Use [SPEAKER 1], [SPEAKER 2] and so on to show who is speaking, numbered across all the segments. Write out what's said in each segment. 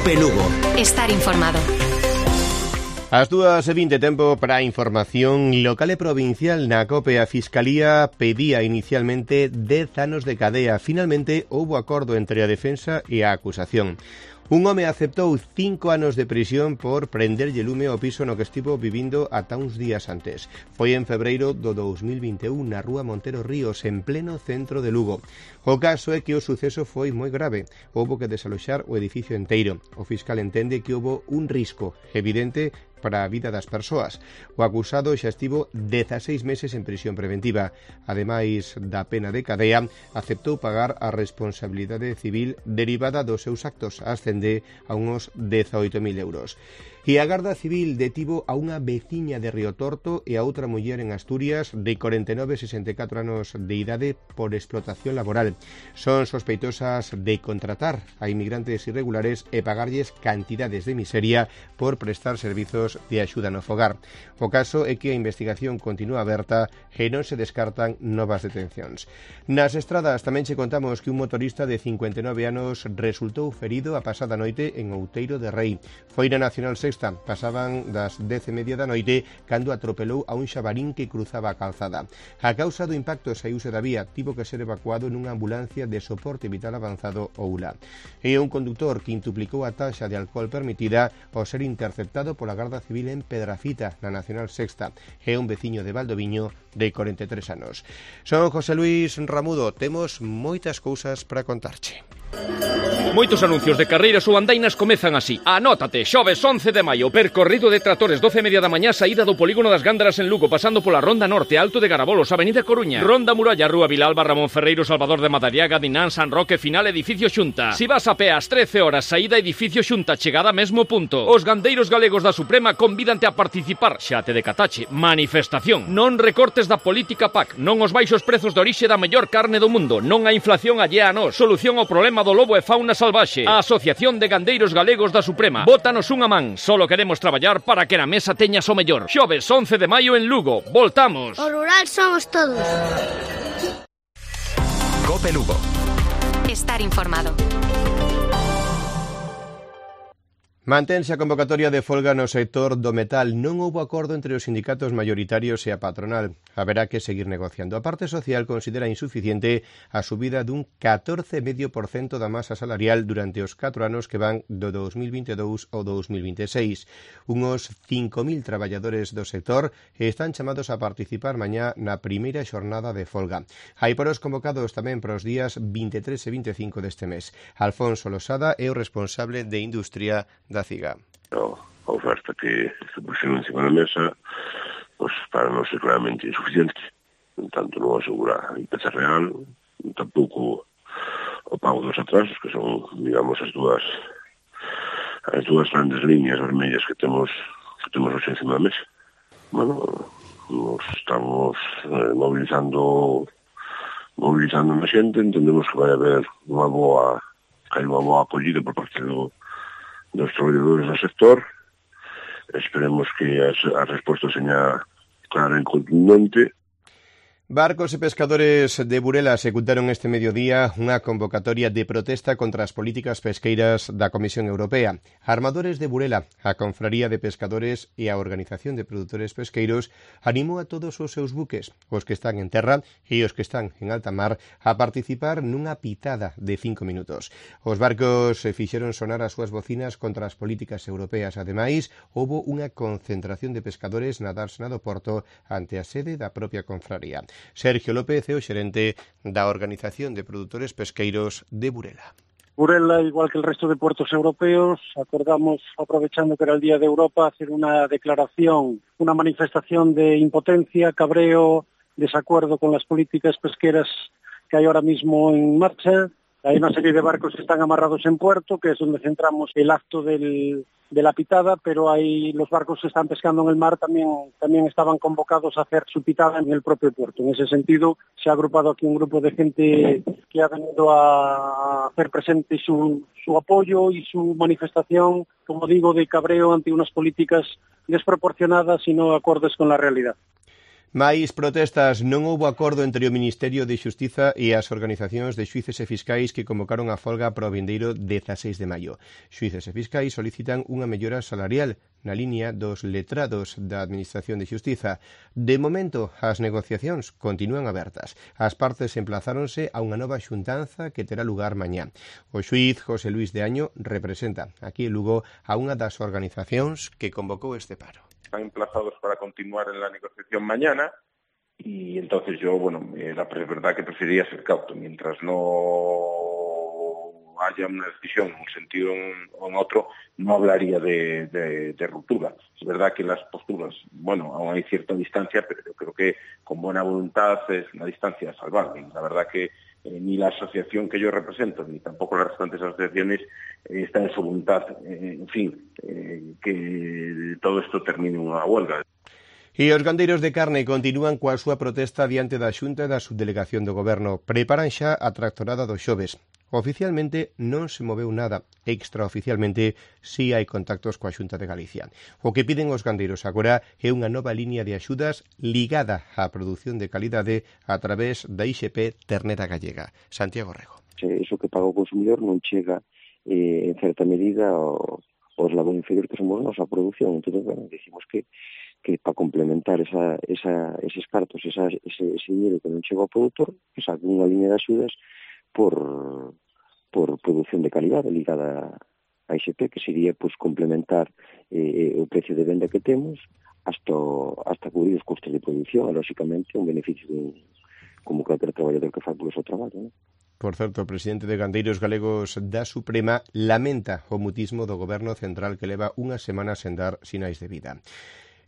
[SPEAKER 1] Cope Lugo.
[SPEAKER 2] Estar informado.
[SPEAKER 3] As 2:20, tempo para a información local e provincial. Na COPE a Fiscalía pedía inicialmente 10 anos de cadea. Finalmente houbo acordo entre a defensa e a acusación. Un home aceptou 5 anos de prisión por prenderlle lume ao piso no que estivo vivindo ata uns días antes. Foi en febreiro do 2021 na rúa Montero Ríos, en pleno centro de Lugo. O caso é que o suceso foi moi grave. Houbo que desaloxar o edificio enteiro. O fiscal entende que houbo un risco evidente para a vida das persoas. O acusado xa estivo 16 meses en prisión preventiva. Ademais da pena de cadea, aceptou pagar a responsabilidade civil derivada dos seus actos, ascende a uns 18.000 euros. E a Garda Civil detivo a unha veciña de Río Torto e a outra muller en Asturias de 49 e 64 anos de idade por explotación laboral. Son sospeitosas de contratar a inmigrantes irregulares e pagarlles cantidades de miseria por prestar servizos de axuda no fogar. O caso é que a investigación continúa aberta e non se descartan novas detencións. Nas estradas tamén che contamos que un motorista de 59 anos resultou ferido a pasada noite en Outeiro de Rei. Foi na Nacional Sexta, pasaban das 10:30 da noite cando atropelou a un xabarín que cruzaba a calzada. A causa do impacto saíuse da vía, tivo que ser evacuado nunha ambulancia de soporte vital avanzado ou ULA. E un conductor que intuplicou a taxa de alcohol permitida ao ser interceptado pola Garda Civil en Pedrafita, na Nacional Sexta, e un veciño de Valdoviño de 43 anos. Son José Luis Ramudo, temos moitas cousas para contarche.
[SPEAKER 4] Moitos anuncios de carreiras ou andainas comezan así. Anótate, xoves 11 de maio, percorrido de tractores 12:30 da mañá, saída do polígono das Gándaras en Lugo, pasando pola Ronda Norte, Alto de Garabolos, Avenida Coruña, Ronda Muralla, Rúa Vilalba, Ramón Ferreiro, Salvador de Madariaga, Dinán, San Roque, final edificio Xunta. Si vas a pé ás 13 horas, saída edificio Xunta, chegada mesmo punto. Os gandeiros galegos da Suprema convídante a participar, xa te decatache, manifestación. Non recortes da política PAC, non os baixos prezos de orixe da mellor carne do mundo, non a inflación allea a nós, solución ao problema do lobo e fauna salvaxe. A Asociación de Gandeiros Galegos da Suprema. Bótanos unha man, solo queremos traballar para que na mesa teñas o mellor. Xoves 11 de maio en Lugo. Voltamos.
[SPEAKER 5] O rural somos todos.
[SPEAKER 1] Cope Lugo.
[SPEAKER 2] Estar informado.
[SPEAKER 3] Mantense a convocatoria de folga no sector do metal. Non houbo acordo entre os sindicatos maioritarios e a patronal. Haberá que seguir negociando. A parte social considera insuficiente a subida dun 14,5% da masa salarial durante os 4 anos que van do 2022 ao 2026. Unos 5.000 traballadores do sector están chamados a participar mañá na primeira xornada de folga. Hai poros convocados tamén para os días 23 e 25 deste mes. Alfonso Losada é o responsable de Industria da CIGA.
[SPEAKER 6] A oferta que se puxeron encima da mesa, pues, para nós é claramente insuficiente. Tanto non asegura a riqueza real, tampouco o pago dos atrasos, que son, digamos, as dúas grandes líneas vermellas que temos hoxe encima da mesa. Bueno, nos estamos mobilizando na xente, entendemos que vai haber unha boa acollida por parte dos traballadores do sector. Esperemos que a resposta seña clara e contundente.
[SPEAKER 3] Barcos e pescadores de Burela executaron este mediodía unha convocatoria de protesta contra as políticas pesqueiras da Comisión Europea. Armadores de Burela, a Confraría de Pescadores e a Organización de Produtores Pesqueiros animou a todos os seus buques, os que están en terra e os que están en alta mar, a participar nunha pitada de 5 minutos. Os barcos fixeron sonar as súas bocinas contra as políticas europeas. Ademais, houbo unha concentración de pescadores na dársena do Porto ante a sede da propia confraría. Sergio López é o xerente da Organización de Produtores Pesqueiros de Burela.
[SPEAKER 7] Burela, igual que el resto de puertos europeos, acordamos, aprovechando que era el Día de Europa, hacer una declaración, una manifestación de impotencia, cabreo, desacuerdo con las políticas pesqueras que hay ahora mismo en marcha. Hay una serie de barcos que están amarrados en puerto, que es donde centramos el acto de la pitada, pero hay los barcos que están pescando en el mar también estaban convocados a hacer su pitada en el propio puerto. En ese sentido, se ha agrupado aquí un grupo de gente que ha venido a hacer presente su apoyo y su manifestación, como digo, de cabreo ante unas políticas desproporcionadas y no acordes con la realidad.
[SPEAKER 3] Máis protestas. Non houbo acordo entre o Ministerio de Xustiza e as organizacións de xuíces e fiscais que convocaron a folga para o vindeiro 16 de maio. Xuíces e fiscais solicitan unha mellora salarial na liña dos letrados da Administración de Xustiza. De momento, as negociacións continúan abertas. As partes emplazáronse a unha nova xuntanza que terá lugar mañá. O xuíz José Luis de Año representa aquí en Lugo a unha das organizacións que convocou este paro.
[SPEAKER 1] Están emplazados para continuar en la negociación mañana y entonces yo, la verdad que preferiría ser cauto. Mientras no haya una decisión en un sentido o en otro, no hablaría de ruptura. Es verdad que las posturas, aún hay cierta distancia, pero yo creo que con buena voluntad es una distancia salvable. La verdad que ni la asociación que yo represento, ni tampoco las restantes asociaciones están en su voluntad, que todo esto termine en unha huelga.
[SPEAKER 3] E os gandeiros de carne continúan coa súa protesta diante da Xunta e da Subdelegación do Goberno. Preparan xa a tractorada do xoves. Oficialmente non se moveu nada, extraoficialmente si hai contactos coa Xunta de Galicia. O que piden os gandeiros agora é unha nova liña de axudas ligada á produción de calidade a través da IXP Ternera Gallega. Santiago Rego.
[SPEAKER 5] Iso que paga o consumidor non chega en certa medida aos labor inferior que somos nós a produción. Entón, decimos que para complementar eses cartos, ese dinero que non chega ao produtor, que saque unha liña de axudas por produción de calidade ligada a IXP, que sería complementar o precio de venda que temos hasta cubrir os custos de produción e, lóxicamente, un beneficio como calquer traballador que fai polo seu traballo, non?
[SPEAKER 3] Por certo, o presidente de Gandeiros Galegos da Suprema lamenta o mutismo do Goberno Central que leva unha semana sen dar sinais de vida.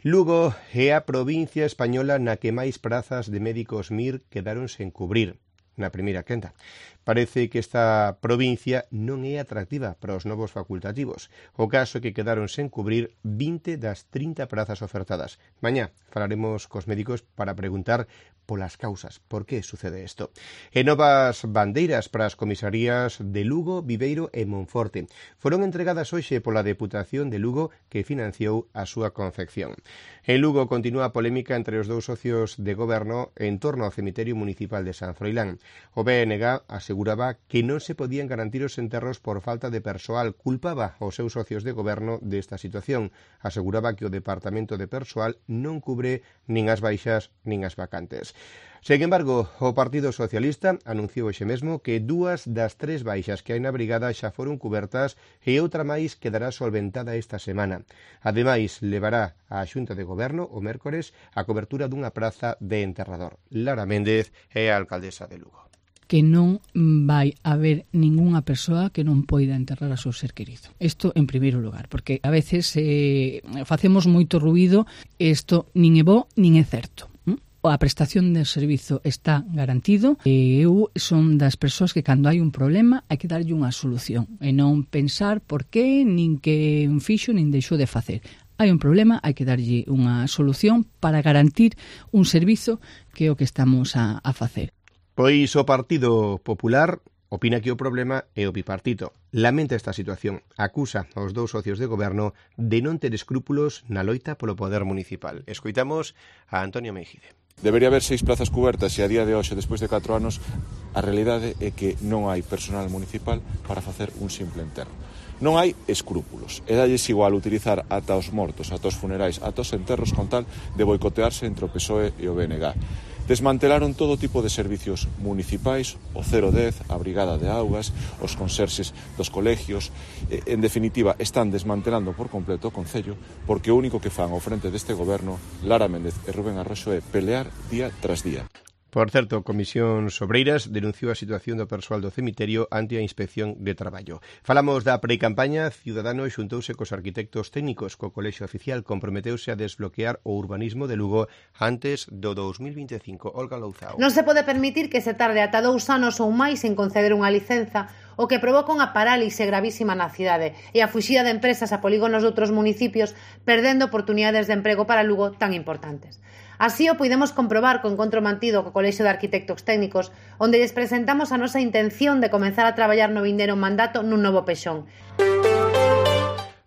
[SPEAKER 3] Lugo é a provincia española na que máis prazas de médicos MIR quedaron sen cubrir. Na primeira quenda. Parece que esta provincia non é atractiva para os novos facultativos. O caso é que quedaron sen cubrir 20 das 30 prazas ofertadas. Mañá falaremos cos médicos para preguntar polas causas, por que sucede isto. E novas bandeiras para as comisarías de Lugo, Viveiro e Monforte. Foron entregadas hoxe pola Deputación de Lugo que financiou a súa confección. En Lugo continúa a polémica entre os dous socios de goberno en torno ao cemiterio municipal de San Froilán. O BNG aseguraba que non se podían garantir os enterros por falta de persoal. Culpaba aos seus socios de goberno desta situación. Aseguraba que o Departamento de Persoal non cubre nin as baixas nin as vacantes. Sen embargo, o Partido Socialista anunciou hoxe mesmo que 2 das 3 baixas que hai na brigada xa foron cubertas e outra máis quedará solventada esta semana. Ademais, levará á Xunta de Goberno o mércores a cobertura dunha praza de enterrador. Lara Méndez é a alcaldesa de Lugo.
[SPEAKER 8] Que non vai haber ningunha persoa que non poida enterrar a seu ser querido. Isto en primeiro lugar, porque a veces facemos moito ruído e isto nin é bo nin é certo. A prestación de servizo está garantido e eu son das persoas que cando hai un problema hai que darlle unha solución e non pensar por qué, nin que fixo, nin deixou de facer. Hai un problema, hai que darlle unha solución para garantir un servizo que é o que estamos a facer.
[SPEAKER 3] Pois o Partido Popular opina que o problema é o bipartito. Lamenta esta situación. Acusa aos dous socios de goberno de non ter escrúpulos na loita polo poder municipal. Escoitamos a Antonio Meijide.
[SPEAKER 9] Debería haber 6 plazas cubertas e a día de hoxe, despois de 4 anos, a realidade é que non hai personal municipal para facer un simple enterro. Non hai escrúpulos. E dalles igual utilizar ata os mortos, ata os funerais, ata os enterros con tal de boicotearse entre o PSOE e o BNG. Desmantelaron todo tipo de servicios municipais, o 010, a Brigada de Augas, os conserxes dos colegios. En definitiva, están desmantelando por completo o Concello porque o único que fan ao frente deste goberno, Lara Méndez e Rubén Arroxo, é pelear día tras día.
[SPEAKER 3] Por certo, Comisións Obreiras denunciou a situación do persoal do cemiterio ante a Inspección de Traballo. Falamos da precampaña. Ciudadanos xuntouse cos arquitectos técnicos. Co Colexio Oficial comprometeuse a desbloquear o urbanismo de Lugo antes do 2025. Olga Louzao.
[SPEAKER 10] Non se pode permitir que se tarde ata 2 anos ou máis en conceder unha licenza, o que provoca unha parálise gravísima na cidade e a fuxida de empresas a polígonos de outros municipios, perdendo oportunidades de emprego para Lugo tan importantes. Así o puidemos comprobar co encontro mantido co Colexio de Arquitectos Técnicos, onde lles presentamos a nosa intención de comenzar a traballar no vindeiro mandato nun novo pexón.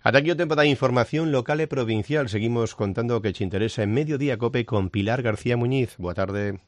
[SPEAKER 3] Ata aquí o tempo da información local e provincial. Seguimos contando o que che interesa en Mediodía Cope con Pilar García Muñiz. Boa tarde.